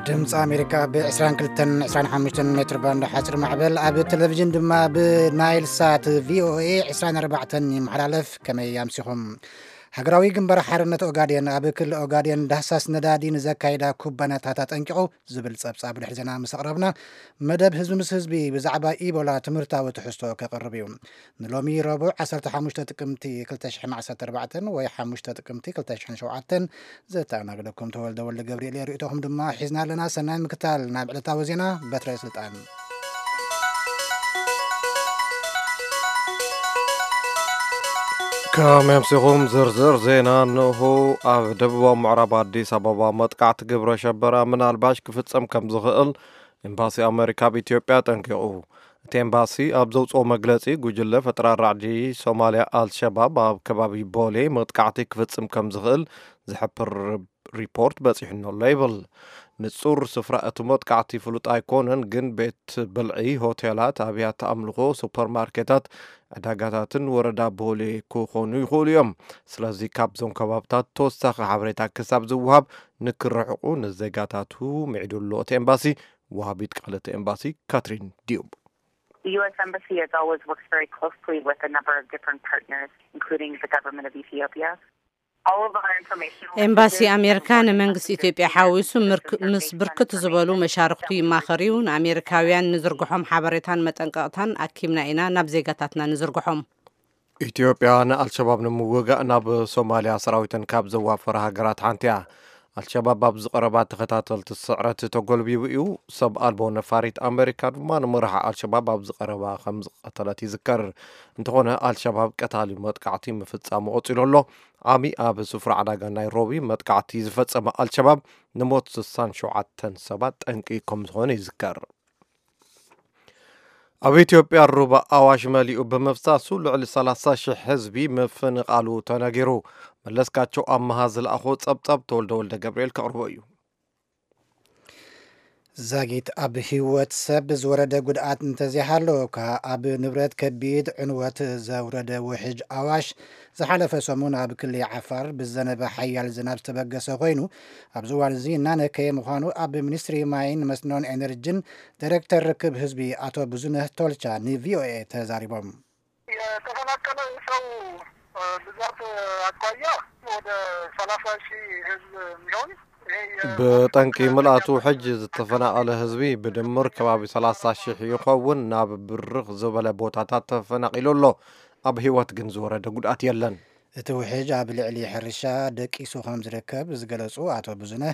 ድምፂ ኣሜሪካ ብ22 25 ሜትር ባንድ ሓፂር ማዕበል፣ ኣብ ቴሌቪዥን ድማ ብናይል ሳት ቪኦኤ 24 ይመሓላለፍ። ከመይ ኣምሲኹም? ሃገራዊ ግንባር ሓርነት ኦጋዴን ኣብ ክልል ኦጋዴን ዳህሳስ ነዳዲ ንዘካይዳ ኩባንያታት ኣጠንቂቑ ዝብል ጸብጻብ ድሕሪ ዜና ምስ ኣቕረብና፣ መደብ ህዝቢ ምስ ህዝቢ ብዛዕባ ኢቦላ ትምህርታዊ ትሕዝቶ ከቕርብ እዩ። ንሎሚ ረቡዕ 15 ጥቅምቲ 2014 ወይ 5 ጥቅምቲ 2007 ዘተኣናግደኩም ተወልደ ወልደ ገብርኤል እየ። ርእይቶኹም ድማ ሒዝና ኣለና። ሰናይ ምክታል። ናብ ዕለታዊ ዜና በትረ ስልጣን። ከመይ ኣምሲኹም? ዝርዝር ዜና እንሆ። ኣብ ደቡባዊ ምዕራብ ኣዲስ ኣበባ መጥቃዕቲ ግብረ ሸበራ ምናልባሽ ክፍጸም ከም ዝኽእል ኤምባሲ ኣመሪካ ኣብ ኢትዮጵያ ኣጠንቂቑ። እቲ ኤምባሲ ኣብ ዘውፅኦ መግለፂ፣ ጉጅለ ፈጠራ ራዕዲ ሶማልያ ኣልሸባብ ኣብ ከባቢ ቦሌ መጥቃዕቲ ክፍጽም ከም ዝኽእል ዝሕብር ሪፖርት በፂሑኒ ኣሎ ይብል። ንጹር ስፍራ እቲ መጥቃዕቲ ፍሉጥ ኣይኮነን፣ ግን ቤት ብልዒ፣ ሆቴላት፣ ኣብያተ ኣምልኾ፣ ሱፐርማርኬታት፣ ዕዳጋታትን ወረዳ ቦሌ ክኾኑ ይኽእሉ እዮም። ስለዚ ካብዞም ከባብታት ተወሳኺ ሓበሬታ ክሳብ ዝወሃብ ንክርሕቑ ንዜጋታቱ ምዒዱ ኣሎ እቲ ኤምባሲ። ወሃቢት ቃል እቲ ኤምባሲ ካትሪን ዲዩብ። The U S Embassy has always worked very closely with a number of different partners, including the government of Ethiopia. All of our information ኤምባሲ ኣሜሪካ ንመንግስቲ ኢትዮጵያ ሓዊሱ ምርክ- ምስ ብርክት ዝበሉ መሻርክቱ ይማኸር እዩ። ንኣሜሪካውያን ንዝርግሖም ሓበሬታን መጠንቀቕታን ኣኪብና ኢና ናብ ዜጋታትና ንዝርግሖም። ኢትዮጵያ ንኣልሸባብ ንምውጋእ ናብ ሶማልያ ሰራዊተን ካብ ዘዋፈራ ሃገራት ሓንቲ እያ። ኣልሸባብ ኣብዚ ቀረባ ተኸታተልቲ ስዕረት ተጎልቢቡ እዩ። ሰብ ኣልቦ ነፋሪት ኣመሪካ ድማ ንመራሒ ኣልሸባብ ኣብዚ ቀረባ ከም ዝቐተለት ይዝከር። እንተኾነ ኣልሸባብ ቀታሊ መጥቃዕቲ ምፍጻሙ ቀጺሉ ኣሎ። ዓሚ ኣብ ስፍራ ዕዳጋ ናይሮቢ መጥቃዕቲ ዝፈጸመ ኣልሸባብ ንሞት 67 ሰባት ጠንቂ ከም ዝኾነ ይዝከር። ኣብ ኢትዮጵያ ሩባ ኣዋሽ መሊኡ ብምፍሳሱ ልዕሊ 30,000 ህዝቢ ምፍንቓሉ ተነጊሩ። መለስካቸው ኣመሃ ዝለኣኾ ጸብጻብ ተወልደ ወልደ ገብርኤል ከቕርቦ እዩ። ዛጊት ኣብ ህይወት ሰብ ዝወረደ ጉድኣት እንተዘይሃለወካ፣ ኣብ ንብረት ከቢድ ዕንወት ዘውረደ ውሕጅ ኣዋሽ ዝሓለፈ ሰሙን ኣብ ክሊ ዓፋር ብዘነበ ሓያል ዝናብ ዝተበገሰ ኮይኑ፣ ኣብዚ እዋን እዚ እናነከየ ምዃኑ ኣብ ሚኒስትሪ ማይን መስኖን ኤነርጂን ዳይሬክተር ርክብ ህዝቢ ኣቶ ብዙነህ ቶልቻ ንቪኦኤ ተዛሪቦም። የተፈናቀለ ሰው ብዛት አኳያ ወደ 30,000 ህዝብ የሚሆን፣ ይሄ የ- ብጠንቂ ምልኣቱ ሕጂ ዝተፈናቐለ ህዝቢ ብድምር ከባቢ 30,000 ይኸውን። ናብ ብርኽ ዝበለ ቦታታት ተፈናቒሉ ኣሎ። ኣብ ህይወት ግን ዝወረደ ጉድኣት የለን። እቲ ውሕጅ ኣብ ልዕሊ ሕርሻ ደቂሱ ከም ዝርከብ ዝገለጹ ኣቶ ብዙነህ፣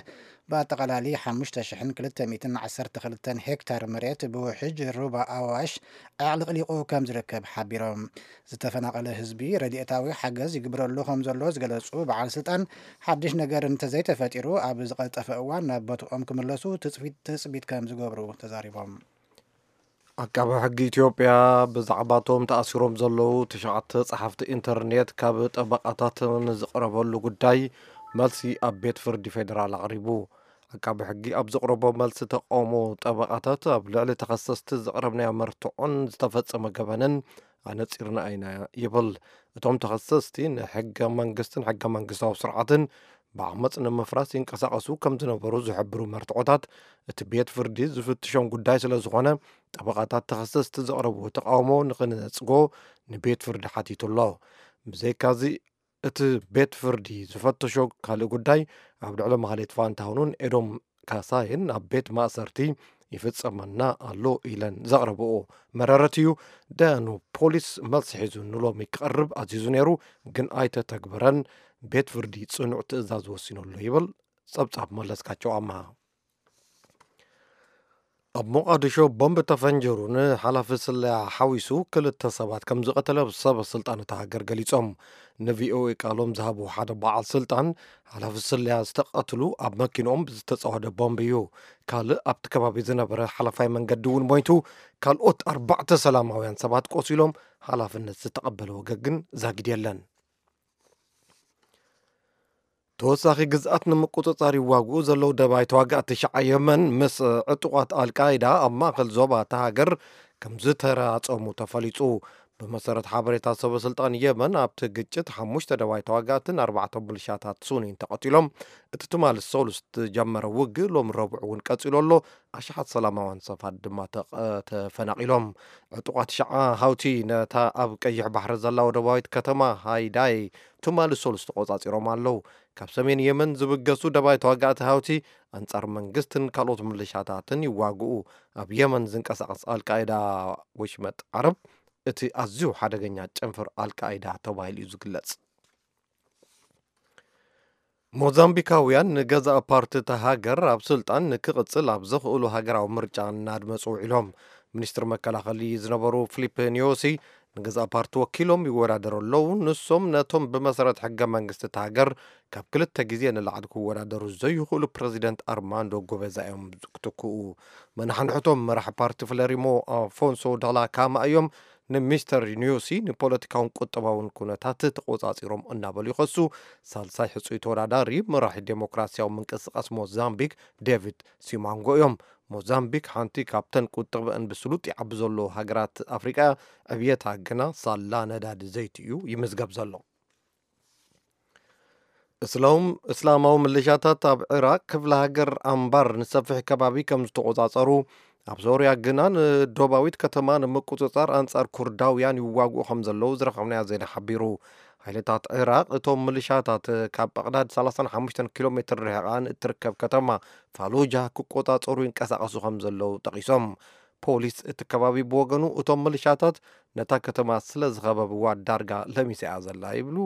ብኣጠቓላሊ 5,212 ሄክታር መሬት ብውሕጅ ሩባ ኣዋሽ ኣዕልቕሊቑ ከም ዝርከብ ሓቢሮም። ዝተፈናቐለ ህዝቢ ረድኤታዊ ሓገዝ ይግብረሉ ከም ዘሎ ዝገለጹ በዓል ስልጣን፣ ሓድሽ ነገር እንተዘይተፈጢሩ ኣብ ዝቐልጠፈ እዋን ናብ ቦትኦም ክምለሱ ትጽቢት፣ ትጽቢት ከም ዝገብሩ ተዛሪቦም። ዓቃቢ ሕጊ ኢትዮጵያ ብዛዕባቶም ተኣሲሮም ዘለዉ ትሽዓተ ጸሓፍቲ ኢንተርኔት ካብ ጠበቓታት ንዝቐረበሉ ጉዳይ መልሲ ኣብ ቤት ፍርዲ ፌደራል ኣቕሪቡ። ዓቃቢ ሕጊ ኣብ ዘቕረቦ መልሲ ተቃውሞ ጠበቓታት ኣብ ልዕሊ ተኸሰስቲ ዘቕረብናዮ መርትዖን ዝተፈጸመ ገበንን ኣነጺርና ኢና ይብል። እቶም ተኸሰስቲ ንሕገ መንግስትን ሕገ መንግስታዊ ስርዓትን ብዓመፅ ንምፍራስ ይንቀሳቐሱ ከም ዝነበሩ ዝሕብሩ መርትዖታት እቲ ቤት ፍርዲ ዝፍትሾም ጉዳይ ስለ ዝኾነ፣ ጠበቓታት ተኸሰስቲ ዘቕረብዎ ተቃውሞ ንኽነጽጎ ንቤት ፍርዲ ሓቲቱ ኣሎ። ብዘይካዚ፣ እቲ ቤት ፍርዲ ዝፈተሾ ካልእ ጉዳይ፣ ኣብ ልዕሊ ማህሌት ፋንታሁንን ኤዶም ካሳይን ኣብ ቤት ማእሰርቲ ይፍጸመና ኣሎ ኢለን ዘቕረብኦ መረረት እዩ። ደያኑ ፖሊስ መልሲ ሒዙ ንሎሚ ክቐርብ ኣዚዙ ነይሩ፣ ግን ኣይተተግበረን። ቤት ፍርዲ ጽኑዕ ትእዛዝ ወሲኑ ኣሎ ይብል ጸብጻብ መለስካቸው ኣምሃ። ኣብ ሞቓዲሾ ቦምብ ተፈንጂሩ ንሓላፊ ስለያ ሓዊሱ ክልተ ሰባት ከም ዝቐተለ ሰበ ስልጣን እታ ሃገር ገሊጾም። ንቪኦኤ ቃሎም ዝሃቡ ሓደ በዓል ስልጣን፣ ሓላፊ ስለያ ዝተቐትሉ ኣብ መኪንኦም ብዝተጻወደ ቦምብ እዩ። ካልእ ኣብቲ ከባቢ ዝነበረ ሓላፋይ መንገዲ እውን ሞይቱ፣ ካልኦት ኣርባዕተ ሰላማውያን ሰባት ቆሲሎም፣ ሓላፍነት ዝተቐበለ ወገን ግን ዛጊድ የለን። ተወሳኺ ግዝኣት ንምቁጽጻር ይዋግኡ ዘለዉ ደባይ ተዋጋእቲ ሸዓ የመን ምስ ዕጡቓት ኣልቃይዳ ኣብ ማእከል ዞባ እታ ሃገር ከም ዝተራጸሙ ተፈሊጹ። ብመሰረት ሓበሬታ ሰበ ስልጣን የመን፣ ኣብቲ ግጭት ሓሙሽተ ደባይ ተዋጋእትን ኣርባዕተ ሚሊሻታት ሱኒን ተቐቲሎም። እቲ ትማሊ ሰሉስ ዝተጀመረ ውግእ ሎሚ ረቡዕ እውን ቀጺሉ ኣሎ። ኣሽሓት ሰላማውያን ሰባት ድማ ተቐ-፣ ተፈናቒሎም። ዕጡቓት ሸዓ ሃውቲ ነታ ኣብ ቀይሕ ባሕሪ ዘላ ወደባዊት ከተማ ሃይዳይ ትማሊ ሰሉስ ተቖጻጺሮም ኣለዉ። ካብ ሰሜን የመን ዝብገሱ ደባይ ተዋጋእቲ ሃውቲ ኣንጻር መንግስትን ካልኦት ሚሊሻታትን ይዋግኡ። ኣብ የመን ዝንቀሳቐስ ኣልቃይዳ ወሽመጥ ዓረብ እቲ ኣዝዩ ሓደገኛ ጨንፈር ኣልቃይዳ ተባሂሉ እዩ ዝግለጽ። ሞዛምቢካውያን ንገዛእ ፓርቲ እታ ሃገር ኣብ ስልጣን ንክቕጽል ኣብ ዘኽእሉ ሃገራዊ ምርጫ እናድመጹ ውዒሎም። ሚኒስትር መከላኸሊ ዝነበሩ ፊሊፕ ኒዮሲ ንገዛእ ፓርቲ ወኪሎም ይወዳደሩ ኣለዉ። ንሶም ነቶም ብመሰረት ሕገ መንግስቲ እታ ሃገር ካብ ክልተ ግዜ ንላዕሊ ክወዳደሩ ዘይኽእሉ ፕረዚደንት ኣርማንዶ ጎበዛ እዮም ክትክኡ። መናሕንሕቶም መራሒ ፓርቲ ፍለሪሞ ኣፎንሶ ዳላ ካማ እዮም። ንሚስተር ኒዮሲ ንፖለቲካውን ቁጠባውን ኩነታት ተቆጻጺሮም እናበሉ ይኸሱ። ሳልሳይ ሕጹይ ተወዳዳሪ መራሒ ዴሞክራሲያዊ ምንቅስቃስ ሞዛምቢክ ዴቪድ ሲማንጎ እዮም። ሞዛምቢክ ሓንቲ ካብተን ቁጠብአን ብስሉጥ ይዓቢ ዘሎ ሃገራት ኣፍሪቃ፣ ዕብየታ ግና ሳላ ነዳዲ ዘይቲ እዩ ይምዝገብ ዘሎ። እስላም-፣ እስላማዊ ምልሻታት ኣብ ዒራቅ ክፍለ ሃገር ኣምባር ንሰፊሕ ከባቢ ከም ዝተቆጻጸሩ፣ ኣብ ሶርያ ግና ንዶባዊት ከተማ ንምቁጽጻር ኣንጻር ኩርዳውያን ይዋግኡ ከም ዘለዉ ዝረኸብናዮ ዜና ሓቢሩ። ሓይልታት ዒራቅ እቶም ምልሻታት ካብ በቕዳድ ሰላሳን ሓሙሽተን ኪሎ ሜትር ርሒቓ ንእትርከብ ከተማ ፋሉጃ ክቆጻጸሩ ይንቀሳቐሱ ከም ዘለዉ ጠቒሶም። ፖሊስ እቲ ከባቢ ብወገኑ፣ እቶም ምልሻታት ነታ ከተማ ስለ ዝኸበብዋ ዳርጋ ለሚሳ እያ ዘላ ይብሉ።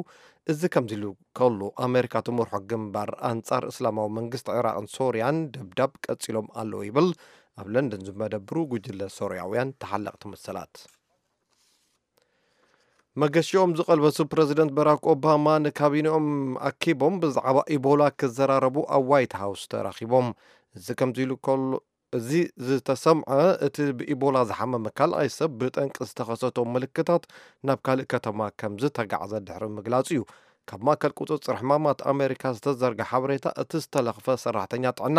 እዚ ከምዚ ኢሉ ከሎ፣ ኣሜሪካ ትመርሖ ግንባር ኣንጻር እስላማዊ መንግስቲ ዒራቕን ሶርያን ደብዳብ ቀጺሎም ኣለዉ ይብል ኣብ ለንደን ዝመደብሩ ጉጅለ ሶርያውያን ተሓለቕቲ መሰላት። መገሽኦም ዝቐልበሱ ፕረዚደንት በራክ ኦባማ ንካቢኔኦም ኣኪቦም ብዛዕባ ኢቦላ ክዘራረቡ ኣብ ዋይት ሃውስ ተራኺቦም። እዚ ከምዚ ኢሉ ከሎ፣ እዚ ዝተሰምዐ፣ እቲ ብኢቦላ ዝሓመመ ካልኣይ ሰብ ብጠንቂ ዝተኸሰቶ ምልክታት ናብ ካልእ ከተማ ከም ዝተጋዕዘ ድሕሪ ምግላጹ እዩ። ካብ ማእከል ቁጽጽር ሕማማት ኣሜሪካ ዝተዘርግሐ ሓበሬታ፣ እቲ ዝተለኽፈ ሰራሕተኛ ጥዕና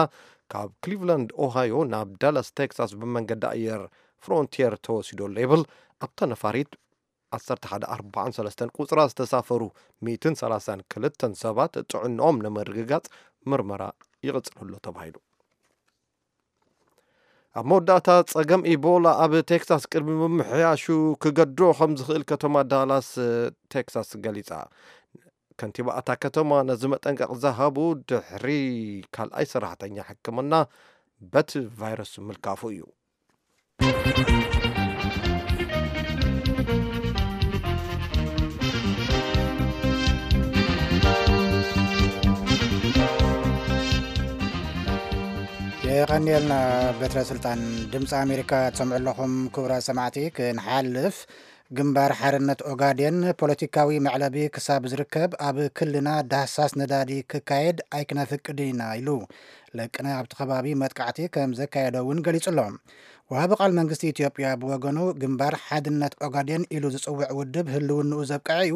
ካብ ክሊቭላንድ ኦሃዮ ናብ ዳላስ ቴክሳስ ብመንገዲ ኣየር ፍሮንቲየር ተወሲዱ ኣሎ ይብል። ኣብታ ነፋሪት ዓሰርተ ሓደ ኣርባዓን ሰለስተን ቁጽራ ዝተሳፈሩ ሚእትን ሰላሳን ክልተን ሰባት ጥዕንኦም ንምርግጋጽ ምርመራ ይቕጽል ኣሎ ተባሂሉ። ኣብ መወዳእታ፣ ጸገም ኢቦላ ኣብ ቴክሳስ ቅድሚ ምምሕያሹ ክገድሮ ከም ዝኽእል ከተማ ዳላስ ቴክሳስ ገሊጻ። ከንቲባ እታ ከተማ ነዚ መጠንቀቕ ዝሃቡ ድሕሪ ካልኣይ ሰራሕተኛ ሕክምና በቲ ቫይረስ ምልካፉ እዩ። የቐንየልና። በትረ ስልጣን ድምፂ ኣሜሪካ ትሰምዑ ኣለኹም። ክቡራት ሰማዕቲ፣ ክንሓልፍ፣ ግንባር ሓርነት ኦጋዴን ፖለቲካዊ መዕለቢ ክሳብ ዝርከብ ኣብ ክልና ዳህሳስ ነዳዲ ክካየድ ኣይክነፍቅድን ኢና ኢሉ። ለቅነ ኣብቲ ከባቢ መጥቃዕቲ ከም ዘካየደ እውን ገሊጹ ኣሎ። ወሃቢ ቃል መንግስቲ ኢትዮጵያ ብወገኑ፣ ግንባር ሓድነት ኦጋዴን ኢሉ ዝጽውዕ ውድብ ህልውንኡ ዘብቅዐ እዩ፣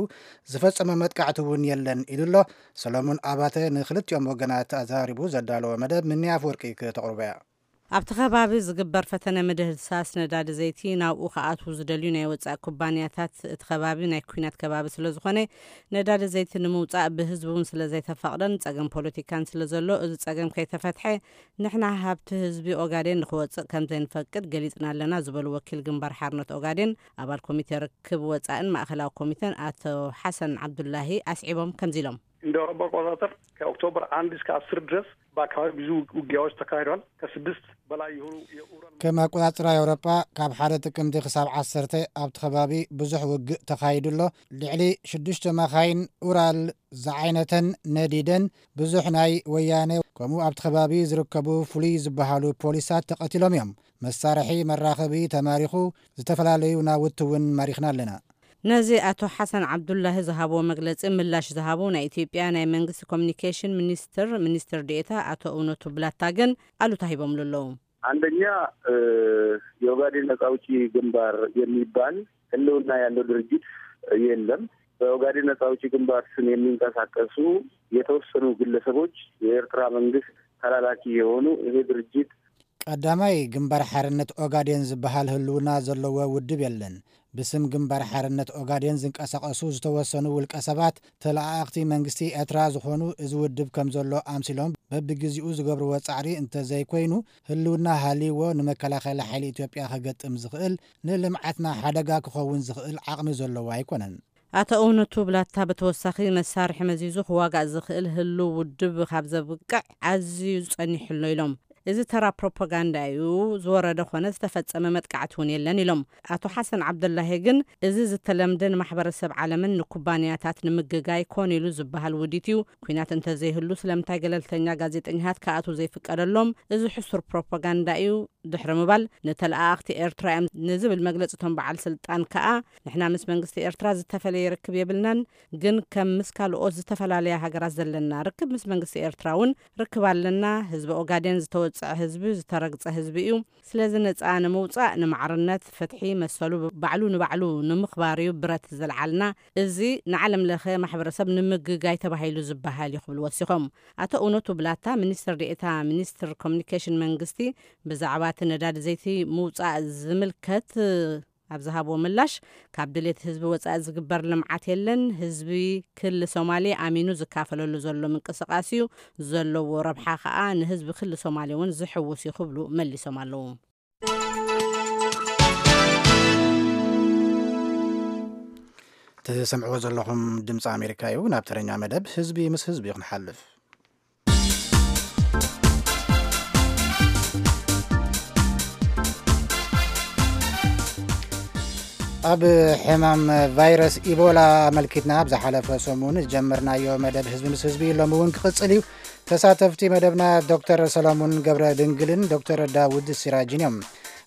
ዝፈጸመ መጥቃዕቲ እውን የለን ኢሉ ኣሎ። ሰሎሙን ኣባተ ንክልቲኦም ወገናት ኣዘራሪቡ ዘዳለወ መደብ፣ ምኒ ኣፍወርቂ ክተቕርቦ እያ። ኣብቲ ከባቢ ዝግበር ፈተነ ምድህሳስ ነዳዲ ዘይቲ፣ ናብኡ ክኣትዉ ዝደልዩ ናይ ወጻኢ ኩባንያታት፣ እቲ ከባቢ ናይ ኲናት ከባቢ ስለ ዝኾነ፣ ነዳዲ ዘይቲ ንምውጻእ ብህዝቢ እውን ስለ ዘይተፈቕደን ጸገም ፖለቲካን ስለ ዘሎ፣ እዚ ጸገም ከይተፈትሐ፣ ንሕና ሃብቲ ህዝቢ ኦጋዴን ንኽወጽእ ከም ዘይንፈቅድ ገሊጽና ኣለና ዝበሉ ወኪል ግንባር ሓርነት ኦጋዴን፣ ኣባል ኮሚቴ ርክብ ወጻእን ማእኸላዊ ኮሚቴን ኣቶ ሓሰን ዓብዱላሂ ኣስዒቦም ከምዚ ኢሎም። እንደ አውሮፓ አቆጣጠር ከኦክቶበር አንድ እስከ አስር ድረስ በአካባቢ ብዙ ውጊያዎች ተካሂደዋል። ከስድስት በላይ የሆኑ የኡራል ከም ኣቆጻጽራ ኤውሮጳ፣ ካብ ሓደ ጥቅምቲ ክሳብ ዓሰርተ ኣብቲ ከባቢ ብዙሕ ውግእ ተኻይዱ ኣሎ። ልዕሊ ሽዱሽተ መኻይን ኡራል ዝዓይነተን ነዲደን፣ ብዙሕ ናይ ወያነ ከምኡ ኣብቲ ከባቢ ዝርከቡ ፍሉይ ዝበሃሉ ፖሊሳት ተቐቲሎም እዮም። መሳርሒ መራኸቢ ተማሪኹ፣ ዝተፈላለዩ ናውቲ እውን ማሪኽና ኣለና። ነዚ ኣቶ ሓሰን ዓብዱላሂ ዝሃብዎ መግለጺ ምላሽ ዝሃቡ ናይ ኢትዮጵያ ናይ መንግስቲ ኮሚኒኬሽን ሚኒስትር ሚኒስትር ዴኤታ ኣቶ እውነቱ ብላታ ግን ኣሉታ ሂቦምሉ ኣለዉ። አንደኛ፣ የኦጋዴን ነጻ አውጪ ግንባር የሚባል ህልውና ያለው ድርጅት የለም። በኦጋዴን ነጻ አውጪ ግንባር ስም የሚንቀሳቀሱ የተወሰኑ ግለሰቦች የኤርትራ መንግስት ተላላኪ የሆኑ፣ ይሄ ድርጅት ቀዳማይ፣ ግንባር ሓርነት ኦጋዴን ዝበሃል ህልውና ዘለዎ ውድብ የለን። ብስም ግንባር ሓርነት ኦጋዴን ዝንቀሳቐሱ ዝተወሰኑ ውልቀ ሰባት፣ ተለኣኣኽቲ መንግስቲ ኤርትራ ዝኾኑ፣ እዚ ውድብ ከም ዘሎ ኣምሲሎም በብግዜኡ ዝገብርዎ ጻዕሪ እንተዘይኮይኑ፣ ህልውና ሃልይዎ ንመከላኸሊ ሓይሊ ኢትዮጵያ ከገጥም ዝኽእል፣ ንልምዓትና ሓደጋ ክኸውን ዝኽእል ዓቕሚ ዘለዎ ኣይኮነን። ኣቶ እውነቱ ብላታ ብተወሳኺ፣ መሳርሒ መዚዙ ክዋጋእ ዝኽእል ህሉው ውድብ ካብ ዘብቅዕ ኣዝዩ ጸኒሑ ኣሎ ኢሎም። እዚ ተራ ፕሮፓጋንዳ እዩ፣ ዝወረደ ኮነ ዝተፈጸመ መጥቃዕቲ እውን የለን ኢሎም። ኣቶ ሓሰን ዓብደላሂ ግን፣ እዚ ዝተለምደ ንማሕበረሰብ ዓለምን ንኩባንያታት ንምግጋይ ኮን ኢሉ ዝበሃል ውዲት እዩ። ኲናት እንተዘይህሉ ስለምንታይ ገለልተኛ ጋዜጠኛታት ክኣትዉ ዘይፍቀደሎም? እዚ ሕሱር ፕሮፓጋንዳ እዩ ድሕሪ ምባል፣ ንተለኣኣኽቲ ኤርትራ እዮም ንዝብል መግለጺ እቶም በዓል ስልጣን ከኣ፣ ንሕና ምስ መንግስቲ ኤርትራ ዝተፈለየ ርክብ የብልናን፣ ግን ከም ምስ ካልኦት ዝተፈላለያ ሃገራት ዘለና ርክብ፣ ምስ መንግስቲ ኤርትራ እውን ርክብ ኣለና። ህዝቢ ኦጋዴን ዝተወጽዐ ህዝቢ፣ ዝተረግጸ ህዝቢ እዩ። ስለዚ ነጻ ንምውጻእ፣ ንማዕርነት፣ ፍትሒ፣ መሰሉ ባዕሉ ንባዕሉ ንምኽባር እዩ ብረት ዘልዓልና። እዚ ንዓለም ለኸ ማሕበረሰብ ንምግጋይ ተባሂሉ ዝበሃል እዩ ክብሉ ወሲኾም። ኣቶ እውነቱ ብላታ፣ ሚኒስትር ዴኤታ ሚኒስትር ኮሚኒኬሽን መንግስቲ፣ ብዛዕባ እቲ ነዳዲ ዘይቲ ምውጻእ ዝምልከት ኣብ ዝሃብዎ ምላሽ፣ ካብ ድሌት ህዝቢ ወጻኢ ዝግበር ልምዓት የለን። ህዝቢ ክሊ ሶማሌ ኣሚኑ ዝካፈለሉ ዘሎ ምንቅስቃስ እዩ። ዘለዎ ረብሓ ከኣ ንህዝቢ ክሊ ሶማሌ እውን ዝሕውስ እዩ ክብሉ መሊሶም ኣለዉ። ትሰምዕዎ ዘለኹም ድምፂ ኣሜሪካ እዩ። ናብ ተረኛ መደብ ህዝቢ ምስ ህዝቢ ክንሓልፍ። ኣብ ሕማም ቫይረስ ኢቦላ ኣመልኪትና ኣብ ዝሓለፈ ሰሙን ዝጀመርናዮ መደብ ህዝቢ ምስ ህዝቢ ሎሚ እውን ክቕጽል እዩ። ተሳተፍቲ መደብና ዶክተር ሰሎሙን ገብረ ድንግልን ዶክተር ዳውድ ሲራጅን እዮም።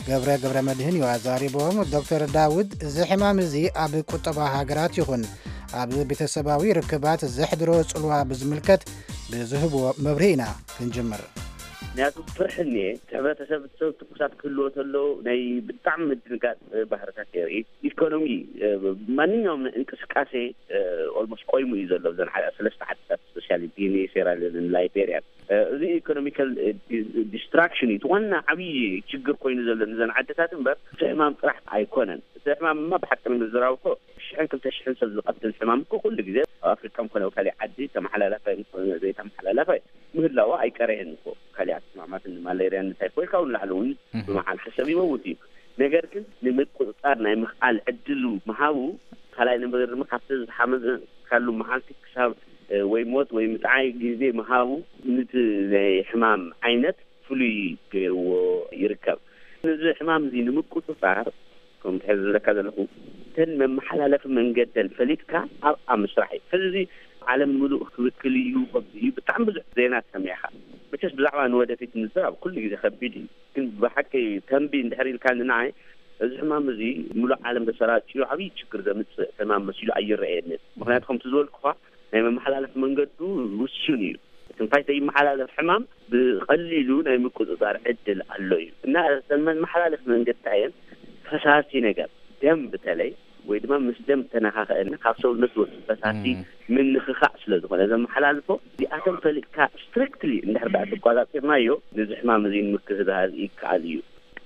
ገብረ ገብረ መድህን እዩ ኣዛሪቦም። ዶክተር ዳውድ፣ እዚ ሕማም እዚ ኣብ ቁጠባ ሃገራት ይኹን ኣብ ቤተሰባዊ ርክባት ዘሕድሮ ጽልዋ ብዝምልከት ብዝህብዎ መብርሂ ኢና ክንጅምር። ምክንያቱ ፍርሒ እኒኤ፣ እቲ ሕብረተሰብ ሰብ ትኩሳት ክህልዎ ተሎ ናይ ብጣዕሚ ምድንጋጽ ባህርታት የርኢ። ኢኮኖሚ፣ ማንኛውም እንቅስቃሴ ኦልሞስት ቆይሙ እዩ ዘሎ። እዘን ዓ-፣ ሰለስተ ዓድታት ስፔሻሊ ጊኒ፣ ሴራሊዮንን ላይቤሪያን። እዚ ኢኮኖሚካል ዲስትራክሽን እዩ እቲ ዋና ዓብዪ ችግር ኮይኑ ዘሎ ንዘን ዓድታት እምበር እቲ ሕማም ጥራሕ ኣይኮነን። እቲ ሕማም እማ ብሓቂ ንምዝራብ እኮ ሽሕን ክልተ ሽሕን ሰብ ዝቐትል ሕማም እኮ ኩሉ ግዜ ኣብ ኣፍሪቃ ኮነ ኣብ ካሊእ ዓዲ ተመሓላላፋይ ዘይተመሓላላፋይ ምህላዋ ኣይቀረየን እኮ። ካሊኣት ሕማማትን ማሌርያን እንታይ ኮይልካ እውን ላዕሊ እውን ብመዓልቲ ሰብ ይመውት እዩ። ነገር ግን ንምቁፅፃር ናይ ምኽኣል ዕድሉ ምሃቡ፣ ካልኣይ ነገር ድማ ካብቲ ዝሓመዝካሉ መዓልቲ ክሳብ ወይ ሞት ወይ ምጥዓይ ግዜ ምሃቡ፣ ነቲ ናይ ሕማም ዓይነት ፍሉይ ገይርዎ ይርከብ። ነዚ ሕማም እዚ ንምቁፅፃር፣ ከምቲ ሕዚ ዝብለካ ዘለኹ፣ እተን መመሓላለፊ መንገደን ፈሊጥካ ኣብኣ ምስራሕ እዩ። ሕዚ እዚ ዓለም ምሉእ ክብክል እዩ፣ ከምዚ እዩ፣ ብጣዕሚ ብዙሕ ዜና ትሰምዕ ኢኻ። መቸስ ብዛዕባ ንወደፊት ምዝራብ ኩሉ ግዜ ከቢድ እዩ። ግን ብሓቂ ተንቢ እንድሕር ኢልካኒ ንዓይ፣ እዚ ሕማም እዚ ምሉእ ዓለም ተሰራጭዩ ዓብዪ ችግር ዘምፅእ ሕማም መሲሉ ኣይረኣየንን። ምክንያቱ ከምቲ ዝበልኩኻ ናይ መመሓላለፊ መንገዱ ውሱን እዩ። ትንፋይ ዘይመሓላለፍ ሕማም ብቐሊሉ ናይ ምቁፅፃር ዕድል ኣሎ እዩ። እና እተን መመሓላለፊ መንገድታ እየን ፈሳሲ ነገር፣ ደም በተለይ፣ ወይ ድማ ምስ ደም ተነኻኸአና ካብ ሰውነት ዝወፅእ ፈሳሲ ምንኽኻእ ስለ ዝኾነ ዘመሓላልፎ፣ እዚኣተን ፈሊጥካ ስትሪክትሊ እንድሕር ደኣ ተቋፃፂርናዮ፣ ነዚ ሕማም እዚ ንምክልኻል ይከኣል እዩ።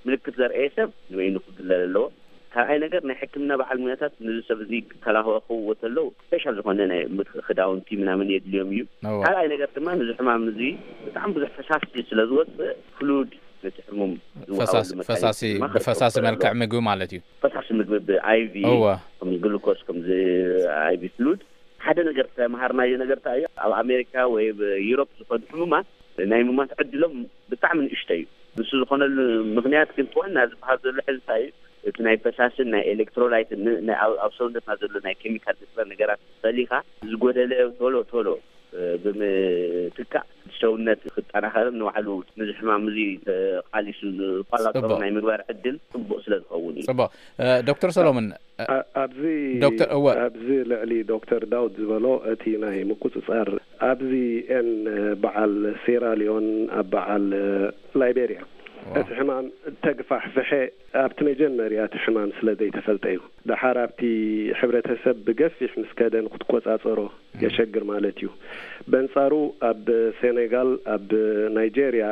ምልክት ዘርእየ ሰብ ንበይኑ ክግለል ኣለዎ። ካልኣይ ነገር፣ ናይ ሕክምና በዓል ሙያታት ነዚ ሰብ እዚ ክከላኸልዎ ተለዉ፣ ስፔሻል ዝኾነ ናይ ምክ-፣ ክዳውንቲ ምናምን የድልዮም እዩ። እወ። ካልኣይ ነገር ድማ፣ ነዚ ሕማም እዚ ብጣዕሚ ብዙሕ ፈሳሲ ስለ ዝወፅእ፣ ፍሉድ ነቲ ሕሙም ዝወሃበሉ ፈሳሲ፣ መካኒዝም ፈሳሲ፣ ድማ ክህልዎ ብፈሳሲ ይኽእል መልክዕ ኣለዎ። ምግቢ ማለት እዩ። ፈሳሲ ምግቢ ብ-፣ ኣይቪ፣ እወ። ከም ግሉኮስ፣ ከምዚ ኣይቪ ፍሉድ። ሓደ ነገር ዝተምሃርናዮ ነገር እንታይ እዩ? ኣብ ኣሜሪካ ወይ ኣብ ዩሮፕ ዝኾኑ ሕሙማት ናይ ምማት ዕድሎም ብጣዕሚ ንእሽቶ እዩ። ንሱ ዝኾነሉ ምኽንያት ግን፣ እቲ ዋና ዝበሃል ዘሎ ሕዚ እንታይ እዩ? እቲ ናይ ፈሳስን ናይ ኤሌክትሮላይትን ን-፣ ናይ ኣብ፣ ኣብ ሰውነትና ዘሎ ናይ ኬሚካል ንጥረ ነገራት ፈሊኻ፣ ዝጎደለ ቶሎ ቶሎ፣ እ፣ ብምትካእ፣ ሰውነት ክጠናኸርን ንባዕሉ ነዚ ሕማም እዚ ተቓሊሱ ዝቆጻጸሮ ጽቡቕ። ናይ ምግባር ዕድል ጽቡቕ ስለ ዝኸውን እዩ። ጽቡቕ። እ፣ ዶክተር ሰሎሞን፣ እ፣ ኣ-፣ ኣብዚ፣ ዶክተር፣ እወ። ኣብዚ ልዕሊ ዶክተር ዳውድ ዝበሎ፣ እቲ ናይ ምቁጽጻር፣ ኣብዚ ኤን በዓል ሴራሊዮን፣ ኣብ በዓል ላይቤሪያ፣ ዋው። እቲ ሕማም ተግፋሕፍሐ ኣብቲ መጀመርያ እቲ ሕማም ስለ ዘይተፈልጠ እዩ። ደሓር ኣብቲ ሕብረተሰብ ብገፊሕ ምስ ከደ ንክትቆጻጸሮ የሸግር ማለት እዩ። በንጻሩ ኣብ ሴኔጋል፣ ኣብ ናይጄርያ፣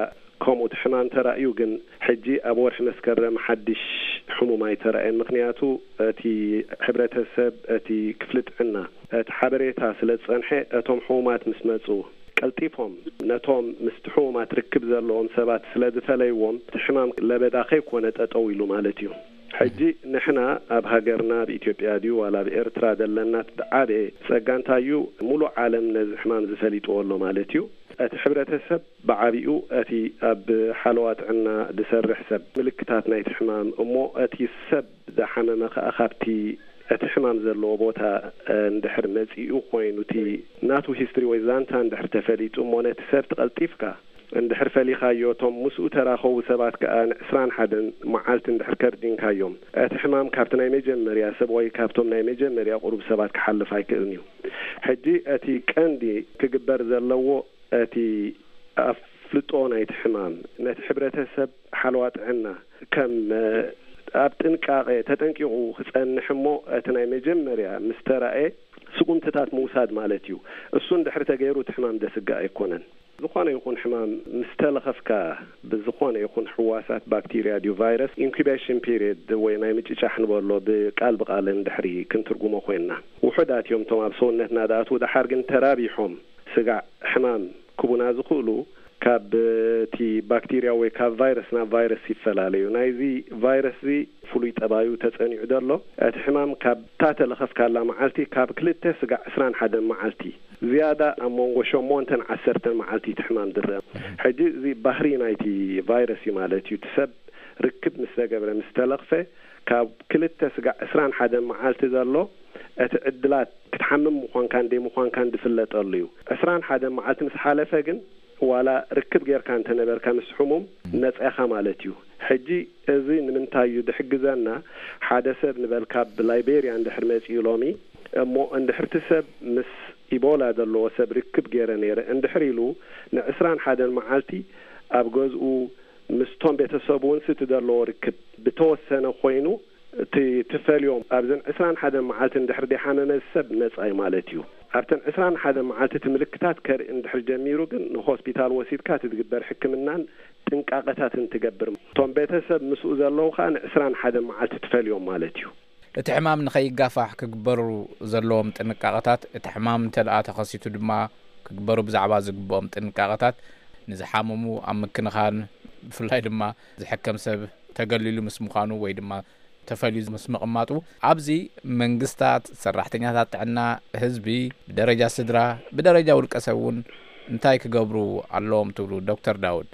ከምኡ እቲ ሕማም ተራእዩ፣ ግን ሕጂ ኣብ ወርሒ መስከረም ሓድሽ ሕሙም ኣይተራእየን። ምኽንያቱ እቲ ሕብረተሰብ፣ እቲ ክፍሊ ጥዕና እቲ ሓበሬታ ስለ ዝጸንሐ፣ እቶም ሕሙማት ምስ መጹ ቀልጢፎም ነቶም ምስቲ ሕሙማት ርክብ ዘለዎም ሰባት ስለ ዝፈለይዎም፣ እቲ ሕማም ለበዳ ከይኮነ ጠጠው ኢሉ ማለት እዩ። ሕጂ ንሕና ኣብ ሃገርና፣ ኣብ ኢትዮጵያ ድዩ ዋላ ኣብ ኤርትራ ዘለና፣ እቲ ዓበየ ጸጋ እንታይ እዩ? ሙሉእ ዓለም ነዚ ሕማም ዝፈሊጥዎ ኣሎ ማለት እዩ። እቲ ሕብረተሰብ ብዓቢኡ እቲ ኣብ ሓለዋ ጥዕና ዝሰርሕ ሰብ ምልክታት ናይቲ ሕማም፣ እሞ እቲ ሰብ ዝሓመመ ከኣ ካብቲ እቲ ሕማም ዘለዎ ቦታ፣ እ፣ እንድሕር መጺኡ ኮይኑ፣ እቲ ናቱ ሂስትሪ ወይ ዛንታ እንድሕር ተፈሊጡ፣ እሞ ነቲ ሰብ ትቐልጢፍካ እንድሕር ፈሊኻዮ፣ እቶም ምስኡ ተራኸቡ ሰባት ከኣ ንዕስራን ሓደን መዓልቲ እንድሕር ከርዲንካዮም፣ እቲ ሕማም ካብቲ ናይ መጀመርያ ሰብ ወይ ካብቶም ናይ መጀመርያ ቁሩብ ሰባት ክሓልፍ ኣይክእልን እዩ። ሕጂ እቲ ቀንዲ ክግበር ዘለዎ፣ እቲ ኣፍልጦ ናይቲ ሕማም ነቲ ሕብረተሰብ ሓለዋ ጥዕና ከም፣ እ፣ ኣብ ጥንቃቄ ተጠንቂቑ ክጸንሕ፣ እሞ እቲ ናይ መጀመርያ ምስ ተራእየ ስጉምትታት ምውሳድ ማለት እዩ። እሱ እንድሕር ተገይሩ፣ እቲ ሕማም ደስጋ ኣይኮነን። ዝኾነ ይኹን ሕማም ምስ ተለኸፍካ ብዝኾነ ይኹን ሕዋሳት፣ ባክቴርያ ድዩ ቫይረስ፣ ኢንኩቤሽን ፒሪየድ ወይ ናይ ምጭጫሕ ንበሎ፣ ብቃል ብቃል እንድሕሪ ክንትርጉሞ ኮይንና፣ ውሑዳት እዮም እቶም ኣብ ሰውነትና ዝኣትዉ። ደሓር ግን ተራቢሖም ስጋዕ ሕማም ክቡና ዝኽእሉ ካብ እቲ ባክቴርያ ወይ ካብ ቫይረስ ናብ ቫይረስ ይፈላለዩ። ናይዚ ቫይረስ እዚ ፍሉይ ጠባዩ ተጸኒዑ ዘሎ፣ እቲ ሕማም ካብ እታ ተለኸፍካላ መዓልቲ ካብ ክልተ ስጋዕ ዕስራን ሓደን መዓልቲ፣ ዝያዳ ኣብ መንጎ ሸሞንተን ዓሰርተን መዓልቲ እቲ ሕማም ዝረአ። ሕጂ እዚ ባህሪ ናይቲ ቫይረስ እዩ ማለት እዩ። እቲ ሰብ ርክብ ምስ ተገብረ፣ ምስ ተለኽፈ፣ ካብ ክልተ ስጋዕ ዕስራን ሓደን መዓልቲ ዘሎ እቲ ዕድላት ክትሓምም ምዃንካን ደይ ምዃንካን ዝፍለጠሉ እዩ። ዕስራን ሓደን መዓልቲ ምስ ሓለፈ ግን፣ ዋላ ርክብ ጌርካ እንተነበርካ ምስ ሕሙም፣ ነጻኻ ማለት እዩ። ሕጂ እዚ ንምንታይ እዩ ዝሕግዘና? ሓደ ሰብ ንበልካ ብላይቤርያ እንድሕር መጺኡ ሎሚ፣ እሞ እንድሕር እቲ ሰብ ምስ ኢቦላ ዘለዎ ሰብ ርክብ ገይረ ነይረ እንድሕር ኢሉ፣ ንዕስራን ሓደን መዓልቲ ኣብ ገዝኡ ምስቶም ቤተሰቡ እውን ስቲ ዘለዎ ርክብ ብተወሰነ ኮይኑ፣ እቲ ትፈልዮም ኣብዘን ዕስራን ሓደን መዓልቲ እንድሕር ደይሓመመ ሰብ ነጻ እዩ ማለት እዩ። ኣብተን ዕስራን ሓደን መዓልቲ እቲ ምልክታት ከርኢ እንድሕር ጀሚሩ ግን፣ ንሆስፒታል ወሲድካ እቲ ዝግበር ሕክምናን ጥንቃቐታትን ትገብር። እቶም ቤተሰብ ምስኡ ዘለዉ ከኣ ንዕስራን ሓደን መዓልቲ ትፈልዮም ማለት እዩ። እቲ ሕማም ንኸይጋፋሕ ክግበሩ ዘለዎም ጥንቃቐታት፣ እቲ ሕማም እንተ ደኣ ተኸሲቱ ድማ ክግበሩ ብዛዕባ ዝግብኦም ጥንቃቐታት፣ ንዝሓመሙ ኣብ ምክንኻን፣ ብፍላይ ድማ ዝሕከም ሰብ ተገሊሉ ምስ ምዃኑ ወይ ድማ ተፈልዩ ምስ ምቕማጡ፣ ኣብዚ መንግስታት፣ ሰራሕተኛታት ጥዕና፣ ህዝቢ፣ ብደረጃ ስድራ፣ ብደረጃ ውልቀ ሰብ እውን እንታይ ክገብሩ ኣለዎም ትብሉ ዶክተር ዳውድ?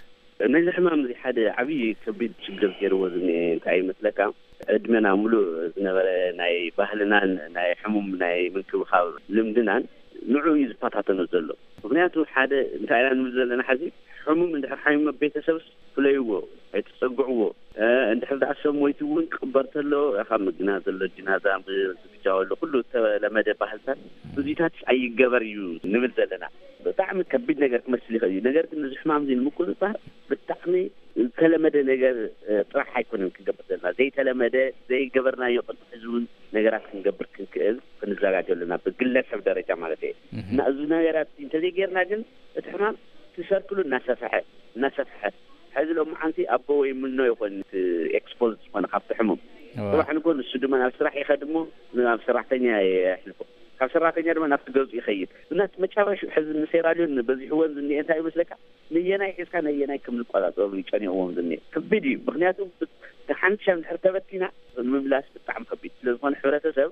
ነዚ ሕማም እዚ ሓደ ዓብዪ ከቢድ ችግር ገይርዎ ዝኒኤ እንታይ ይመስለካ? ዕድመና ሙሉእ ዝነበረ ናይ ባህልናን ናይ ሕሙም ናይ ምንክብኻብ ልምድናን ንዑ እዩ ዝፈታተኖ ዘሎ። ምኽንያቱ ሓደ እንታይ ኢና ንብል ዘለና፣ ሓዚ ሕሙም እንድሕር ሓሚሙ ቤተሰብስ ፍለይዎ፣ ኣይትጸግዕዎ። እ፣ እንድሕር ደኣ ሰብ ሞይቱ እውን ክቕበር ተሎ፣ ካብ ምግና ዘሎ ጅናዛ ብዝግጃወሉ ኩሉ ዝተለመደ ባህልታት እዚታት ኣይገበር እዩ ንብል ዘለና። ብጣዕሚ ከቢድ ነገር ክመስል ይኽእል እዩ። ነገር ግን እዚ ሕማም እዚ ንምቁጽጻር ብጣዕሚ ዝተለመደ ነገር፣ እ፣ ጥራሕ ኣይኮነን ክንገብር ዘለና። ዘይተለመደ፣ ዘይገበርናዮ ቅድሚ ሕዚ እውን ነገራት ክንገብር ክንክእል ክንዘጋጆ ኣለና፣ ብግለሰብ ደረጃ ማለት እየ። እህ። እና እዚ ነገራት እንተዘይጌርና ግን እቲ ሕማም እቲ ሰርክሉ እናሰፍሐ፣ እናሰፍሐ፣ ሕዚ ሎም መዓንቲ ኣቦ ወይ ምኖ ይኾን እቲ ኤክስፖዝ ዝኾነ ካብቲ ሕሙም። እዋ። ጽባሕ ንጎ ንሱ ድማ ናብ ስራሕ ይኸድ እሞ ናብ ሰራሕተኛ የሕልፎ። ካብ ሰራሕተኛ ድማ ናብቲ ገዝኡ ይኸይድ። እና እቲ መጨረሻ ሕዚ ንሴራልዮን በዚሕወን ዝኒኤ እንታይ ይመስለካ? ነየናይ ሒዝካ ነየናይ ከም ዝቆጻጸሩ ይጨኒቕዎም ዝኒኤ። ከቢድ እዩ። ምኽንያቱ ብ-፣ ሓንሻ እንድሕር ተበቲና ምምላስ ብጣዕሚ ከቢድ። ስለ ዝኾነ ሕብረተሰብ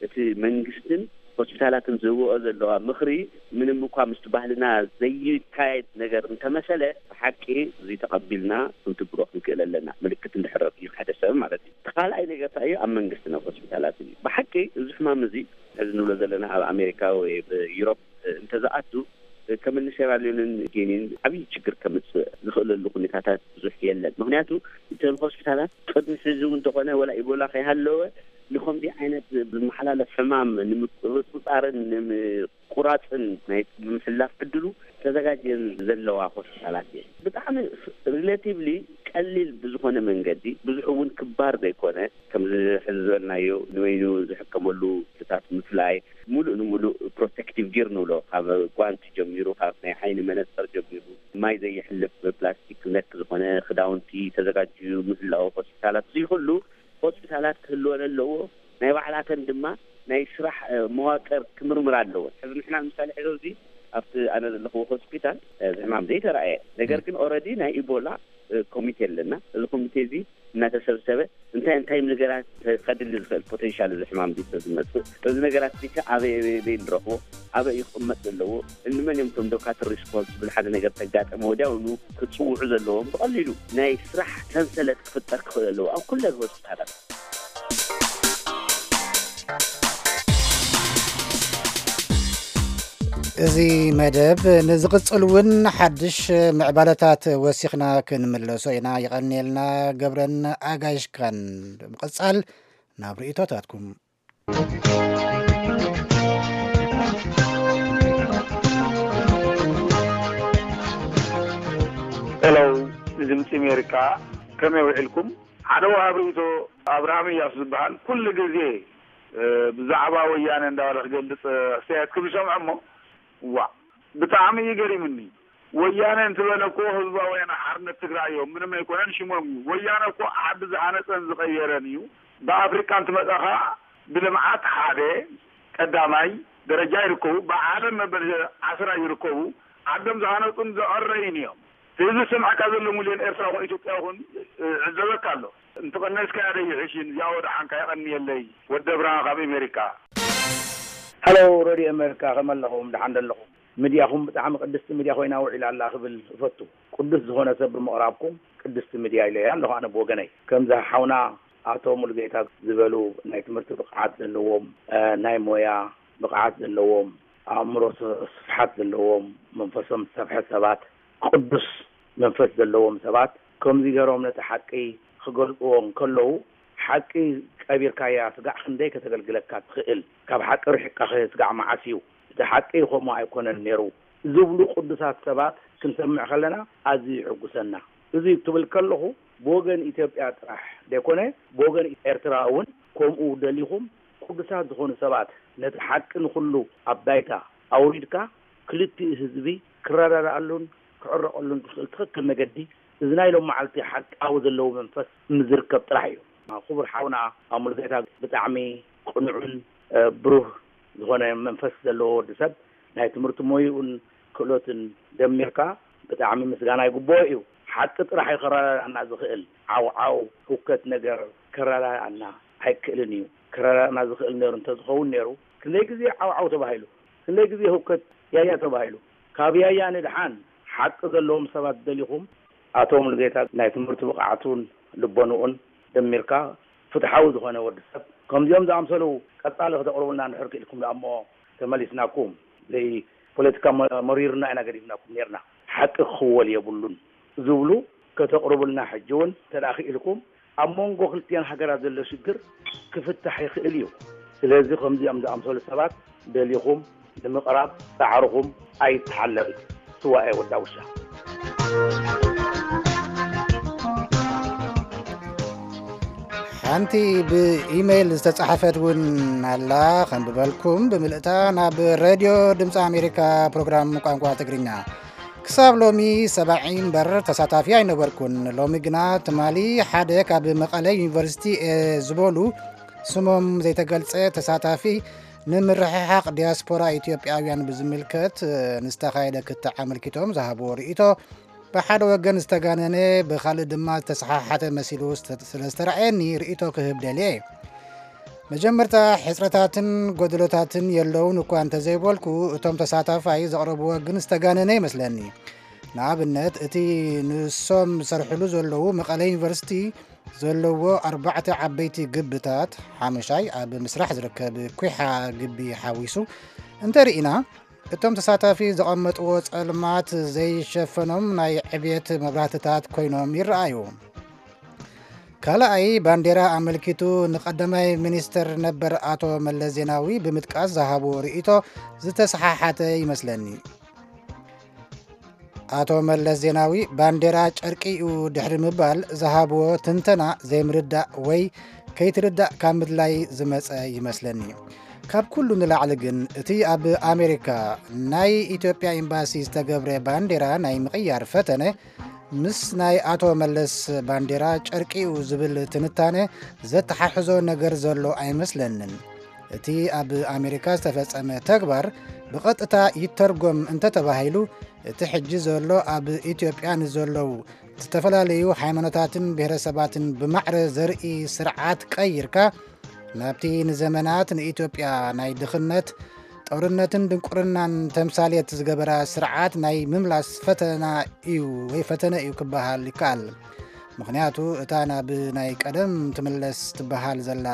እቲ መንግስትን ሆስፒታላትን ዝህብኦ ዘለዋ ምኽሪ ምንም እኳ ምስቲ ባህልና ዘይካየድ ነገር እንተመሰለ፣ ብሓቂ እዚ ተቐቢልና ክንትግብሮ ክንክእል ኣለና። ምልክት እንድሕር ረኺቡ ሓደ ሰብ ማለት እዩ። እቲ ካልኣይ ነገር እንታይ እዩ? ኣብ መንግስትን ኣብ ሆስፒታላትን እዩ። ብሓቂ እዚ ሕማም እዚ፣ እዚ ንብሎ ዘለና ኣብ ኣሜሪካ ወይ ኣብ ዩሮፕ እንተዝኣቱ፣ ከም እኒ ሴራልዮንን ጊኒን ዓብዪ ችግር ከምጽእ ዝኽእለሉ ኩነታታት ብዙሕ የለን። ምኽንያቱ እተን ሆስፒታላት ቅድሚ ሕዚ እውን እንተኾነ፣ ወላ ኢቦላ ከይሃለወ፣ ንኸምዚ ዓይነት ዝመሓላለፍ ሕማም ንምቁጽጻርን ንምቁ-፣ ምቁራፅን ናይ ምሕላፍ ዕድሉ ተዘጋጅየን ዘለዋ ሆስፒታላት እየን። ብጣዕሚ ሪሌቲቭሊ ቀሊል ብዝኾነ መንገዲ፣ ብዙሕ እውን ክባር ዘይኮነ፣ ከምዚ ሕዚ ዝበልናዮ ንበይኑ ዝሕከመሉ ክፍልታት ምፍላይ፣ ሙሉእ ንሙሉእ ፕሮቴክቲቭ ጊር ንብሎ፣ ካብ ጓንቲ ጀሚሩ፣ ካብ ናይ ዓይኒ መነፅር ጀሚሩ፣ ማይ ዘየሕልፍ ፕላስቲክ ነክ ዝኾነ ክዳውንቲ ተዘጋጅዩ ምህላው ሆስፒታላት፣ እዚ ኩሉ ሆስፒታላት ክህልወን ኣለዎ። ናይ ባዕላተን ድማ ናይ ስራሕ መዋቅር ክምርምር ኣለዎ። ሕዚ ንሕና ምሳሌ ሕዚ ኣብዚ ኣብቲ ኣነ ዘለኹዎ ሆስፒታል እዚ ሕማም ዘይተረኣየ፣ ነገር ግን ኦረዲ ናይ ኢቦላ ኮሚቴ ኣለና። እዚ ኮሚቴ እዚ እናተሰብሰበ እንታይ እንታይ ነገራት ከድሊ ዝኽእል ፖቴንሻል እዚ ሕማም እዚ ዝመፅእ፣ እዚ ነገራት እዚ ከ ኣበይ ኣበይ ኣበይ ንረኽቦ፣ ኣበይ እዩ ክቕመጥ ዘለዎ፣ እንመን እዮም እቶም ዶካትር ሪስፖንስብል፣ ሓደ ነገር ተጋጠመ ወዲያውኑ ክፅውዑ ዘለዎም፣ ብቐሊሉ ናይ ስራሕ ሰንሰለት ክፍጠር ክኽእል ኣለዎ ኣብ ኩለን ሆስፒታላት። እዚ መደብ ንዝቕጽል እውን ሓድሽ ምዕባለታት ወሲኽና ክንምለሶ ኢና። ይቐንየልና ገብረን ኣጋይሽካን። ብምቕጻል ናብ ርእይቶታትኩም። ሄሎ፣ ንድምፂ ኣሜሪካ፣ ከመይ ውዒልኩም? ሓደ ወሃብ ርእይቶ ኣብርሃም እያሱ ዝበሃል ኩሉ ግዜ ብዛዕባ ወያነ እንዳበለ ክገልፅ ኣስተያየት ክብ ዝሰምዖ እሞ፣ ዋ፣ ብጣዕሚ እዩ ገሪምኒ። ወያነ እንትበለ እኮ ህዝባዊ ወያነ ሓርነት ትግራይ እዮም፣ ምንም ኣይኮነን ሽሞም እዩ። ወያነ እኮ ዓዲ ዝሃነፀን ዝቐየረን እዩ። ብኣፍሪቃ እንትመፀኻ ብልምዓት ሓደ ቀዳማይ ደረጃ ይርከቡ፣ ብዓለም መበል ዓስራ ይርከቡ። ዓዶም ዝሃነፁን ዘዕረዩን እዮም። እዚ ዝሰምዐካ ዘሎ ሚልዮን ኤርትራ ይኹን ኢትዮጵያ ይኹን ይዕዘበካ ኣሎ። እንተቐነስካያ ዶ ይሕሽን እዚኣ ወድሓንካ የቐንየለይ። ወዲ ኣብርሃ ካብ ኣሜሪካ። ሀሎ ሬድዮ ኣሜሪካ ከመ ኣለኹም? ደሓን ዶ ኣለኹም? ሚድያኹም ብጣዕሚ ቅድስቲ ሚድያ ኮይና ውዒላ ኣላ ክብል እፈቱ። ቅዱስ ዝኾነ ሰብ ብምቕራብኩም ቅድስቲ ሚድያ ኢለያ ኣለኹ ኣነ ብወገነይ። ከምዚ ሓውና ኣቶ ሙሉጌታ ዝበሉ ናይ ትምህርቲ ብቕዓት ዘለዎም፣ ናይ ሞያ ብቕዓት ዘለዎም፣ ኣእምሮ ስፍሓት ዘለዎም፣ መንፈሶም ዝሰፍሐ ሰባት፣ ቅዱስ መንፈስ ዘለዎም ሰባት ከምዚ ገይሮም ነቲ ሓቂ ክገልጽዎ እንከለዉ፣ ሓቂ ቀቢርካያ ስጋዕ ክንደይ ከተገልግለካ ትኽእል? ካብ ሓቂ ርሒቕካ ኸ ስጋዕ መዓስ እዩ? እቲ ሓቂ ከምኡ ኣይኮነን ነይሩ ዝብሉ ቅዱሳት ሰባት ክንሰምዕ ከለና ኣዝዩ ይሕጉሰና። እዚ ክብል ከለኹ ብወገን ኢትዮጵያ ጥራሕ ዘይኮነ ብወገን ኤርትራ እውን ከምኡ ደሊኹም ቅዱሳት ዝኾኑ ሰባት ነቲ ሓቂ ንኹሉ ኣብ ባይታ ኣውሪድካ ክልቲኡ ህዝቢ ክረዳድኣሉን ክዕረቐሉን ዝኽእል ትኽክል መገዲ እዚ ናይ ሎም መዓልቲ ሓቃዊ ዘለዎ መንፈስ ምዝርከብ ጥራሕ እዩ። ክቡር ሓውና ኣሙሉጌታ ብጣዕሚ ቅኑዕን ብሩህ ዝኾነ መንፈስ ዘለዎ ወዲ ሰብ ናይ ትምህርቲ ሞይኡን ክእሎትን ደሚርካ ብጣዕሚ ምስጋና ይግብኦ እዩ። ሓቂ ጥራሕ እዩ ከረዳድኣና ዝኽእል። ዓውዓው ህውከት ነገር ከረዳድኣና ኣይክእልን እዩ። ከረዳድኣና ዝኽእል ነይሩ እንተዝኸውን ነይሩ ክንደይ ግዜ ዓውዓው ተባሂሉ፣ ክንደይ ግዜ ህውከት ያያ ተባሂሉ። ካብ ያያ ንድሓን ሓቂ ዘለዎም ሰባት ደሊኹም ኣቶ ሙሉጌታ ናይ ትምህርቲ ብቕዓቱን ልቦንኡን ደሚርካ ፍትሓዊ ዝኾነ ወዲ ሰብ ከምዚኦም ዝኣምሰሉ ቀጻሊ ክተቕርቡልና እንድሕር ክኢልኩም ደኣ እሞ ተመሊስናኩም። ዘይ ፖለቲካ መ- መሪርና ኢና ገዲፍናኩም ነርና። ሓቂ ክኽወል የብሉን ዝብሉ ከተቕርቡልና ሕጂ እውን እንተ ደኣ ክኢልኩም ኣብ መንጎ ክልቲኣን ሃገራት ዘሎ ሽግር ክፍታሕ ይኽእል እዩ። ስለዚ ከምዚኦም ዝኣምሰሉ ሰባት ደሊኹም ንምቕራብ ጻዕርኹም ኣይተሓለል። ስዋኤ ወዳ ውሻ። ሓንቲ ብኢሜይል ዝተጻሕፈት እውን ኣላ። ከንብበልኩም ብምልእታ ናብ ሬድዮ ድምፂ ኣሜሪካ ፕሮግራም ቋንቋ ትግርኛ። ክሳብ ሎሚ ሰባዒ እምበር ተሳታፊ ኣይነበርኩን። ሎሚ ግና ትማሊ ሓደ ካብ መቐለ ዩኒቨርሲቲ እየ ዝበሉ ስሞም ዘይተገልጸ ተሳታፊ ንምርሕሓቕ ዲያስፖራ ኢትዮጵያውያን ብዝምልከት ንዝተኻየደ ክትዕ ኣመልኪቶም ዝሃብዎ ርእይቶ ብሓደ ወገን ዝተጋነነ ብኻልእ ድማ ዝተሰሓሓተ መሲሉ ስለ ዝተረኣየኒ ርእይቶ ክህብ ደልየ። መጀመርታ ሕጽረታትን ጎደሎታትን የለውን እኳ እንተዘይበልኩ እቶም ተሳታፋይ ዘቕረብዎ ግን ዝተጋነነ ይመስለኒ። ንኣብነት እቲ ንሶም ዝሰርሕሉ ዘለዉ መቐለ ዩኒቨርሲቲ ዘለዎ ኣርባዕተ ዓበይቲ ግብታት ሓሙሻይ ኣብ ምስራሕ ዝርከብ ኩሓ ግቢ ሓዊሱ እንተርኢና እቶም ተሳታፊ ዘቐመጥዎ ጸልማት ዘይሸፈኖም ናይ ዕብየት መብራህትታት ኮይኖም ይረኣዩ። ካልኣይ ባንዴራ ኣመልኪቱ ንቀዳማይ ሚኒስትር ነበር ኣቶ መለስ ዜናዊ ብምጥቃስ ዝሃብዎ ርእይቶ ዝተሰሓሓተ ይመስለኒ። ኣቶ መለስ ዜናዊ ባንዴራ ጨርቂ እዩ ድሕሪ ምባል ዝሃብዎ ትንተና ዘይምርዳእ ወይ ከይትርዳእ ካብ ምድላይ ዝመጸ ይመስለኒ። ካብ ኩሉ ንላዕሊ ግን እቲ ኣብ ኣሜሪካ ናይ ኢትዮጵያ ኤምባሲ ዝተገብረ ባንዴራ ናይ ምቕያር ፈተነ ምስ ናይ ኣቶ መለስ ባንዴራ ጨርቂ እዩ ዝብል ትንታነ ዘተሓሕዞ ነገር ዘሎ ኣይመስለንን። እቲ ኣብ ኣሜሪካ ዝተፈጸመ ተግባር ብቐጥታ ይተርጎም እንተተባሂሉ፣ እቲ ሕጂ ዘሎ ኣብ ኢትዮጵያ ንዘለዉ ዝተፈላለዩ ሃይማኖታትን ብሔረሰባትን ብማዕረ ዘርኢ ስርዓት ቀይርካ፣ ናብቲ ንዘመናት ንኢትዮጵያ ናይ ድኽነት፣ ጦርነትን ድንቁርናን ተምሳሌት ዝገበራ ስርዓት ናይ ምምላስ ፈተና እዩ ወይ ፈተነ እዩ ክበሃል ይከኣል። ምኽንያቱ እታ ናብ ናይ ቀደም ትምለስ ትበሃል ዘላ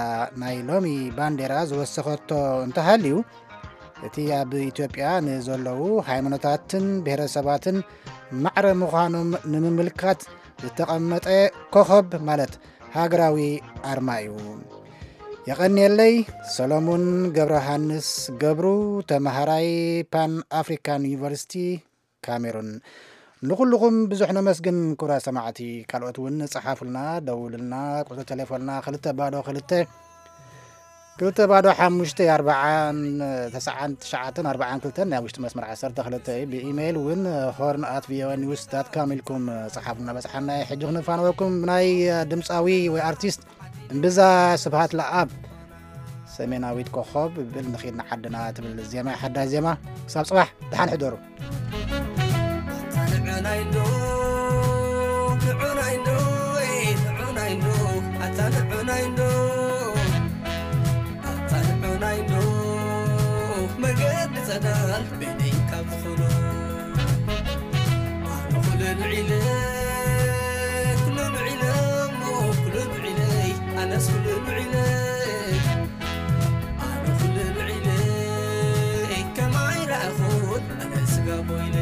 ናይ ሎሚ ባንዴራ ዝወሰኸቶ እንተሃልዩ፣ እቲ ኣብ ኢትዮጵያ ንዘለዉ ሃይማኖታትን ብሔረሰባትን ማዕረ ምዃኖም ንምምልካት ዝተቐመጠ ኮኸብ ማለት ሃገራዊ ኣርማ እዩ። የቐንየለይ። ሰሎሙን ገብረሃንስ ገብሩ፣ ተመሃራይ ፓን ኣፍሪካን ዩኒቨርሲቲ ካሜሩን። ንኹልኹም ብዙሕ ነመስግን ክቡራት ሰማዕቲ። ካልኦት እውን ጸሓፉልና፣ ደውሉልና። ቁጽሪ ቴሌፎንና ክልተ ባዶ ክልተ፣ ክልተ ባዶ ሓሙሽተ ኣርባዓን ተስዓን ትሽዓተን ኣርባዓን ክልተን ናይ ውሽጢ መስመር ዓሰርተ ክልተ እዩ። ብኢሜይል እውን ሆርን ኣት ቪኦኤ ኒውስ ዳት ካም ኢልኩም ጸሓፉልና። በጽሓና። ሕጂ ክንፋነወኩም ብናይ ድምጻዊ ወይ ኣርቲስት እምብዛ ስብሃት ለኣብ ሰሜናዊት ኮኾብ ብል ንኺድ ንዓድና ትብል ዜማ፣ ሓዳስ ዜማ። ክሳብ ጽባሕ ደሓን ሕደሩ። ንዑናይ እንዶ፣ ንዑናይ እንዶ፣ ንዑናይ እንዶ፣ ኣታ ንዑናይ እንዶ፣ ኣታ ንዑናይ እንዶ፣ መገዲ ጸዳል በይነይ ካብ ዝኾኑ። ኣነ ኩሉ ንዒለ፣ ኩሉ ንዒለ እሞ፣ ኩሉ ንዒለይ፣ ኣነስ ኩሉ ንዒለ። ኣነ ኩሉ ንዒለ ከማይ ረኣኹን ኣነ ስጋ ቦይነ።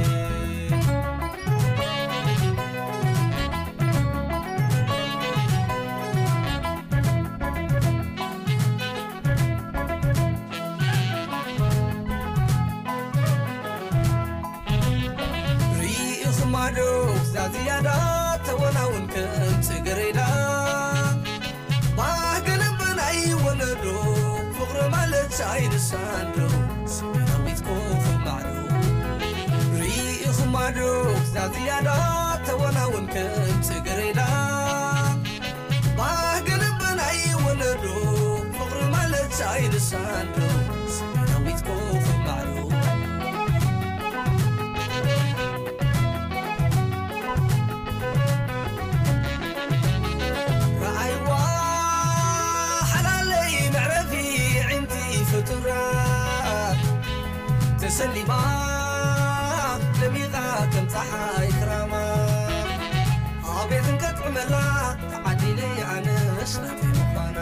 ርኢኹማ ዶ እዛ ዝያዳ ተወናውን ከም ጽጌረዳ? ባህገ ልቢ ናይ ወለዶ ፍቕሪ ማለት ሻይ ልሳን ዶ ስሜናዊት ኮኸብ ማዕዶ። ርኢኹማ ዶ እዛ ዝያዳ ተወናውን ከም ጽጌረዳ? ባህገ ልቢ ናይ ወለዶ ፍቕሪ ማለት ሻይ ልሳን ዶ ስሜናዊት ኮኸብ ማዕዶ። ረኣይዋ ሓላለይ መዕረፊ ኣዒንቲ ፍጡራት፣ ተሰሊማ ደሚቓ ከም ጸሓይ ክራማ። ኣቤት እንከጥዕመላ ተዓዲለይ ኣነስ ናተይ ምዃና።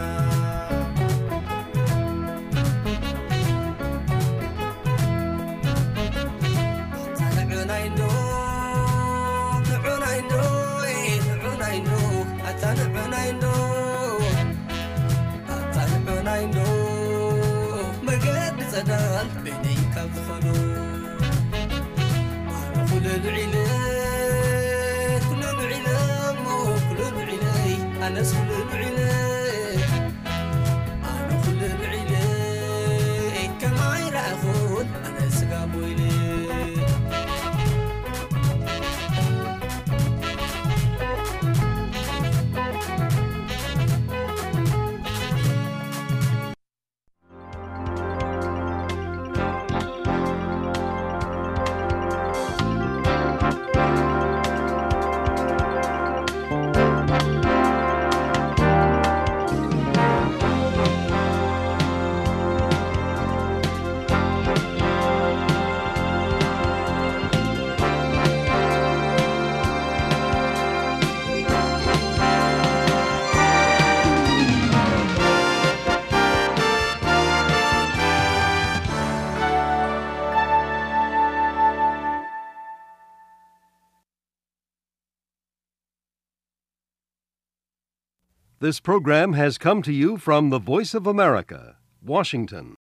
ንዑናይ እንዶ፣ ንዑናይ እንዶ፣ ንዑናይ እንዶ፣ ኣታ ንዑናይ እንዶ፣ ኣታ ንዑናይ እንዶ፣ መገዲ ጸዳል በይነይ ካብ ዝኾኑ። ኣነ ኩሉ ንዒለ፣ ኩሉ ንዒለ እሞ፣ ኩሉ ንዒለይ፣ ኣነስ ኩሉ ንዒለ። ኣነ ኩሉ ንዒለ ከማይ ረኣኹን ኣነ ስጋ ቦይነ። This program has come to you from the Voice of America, Washington.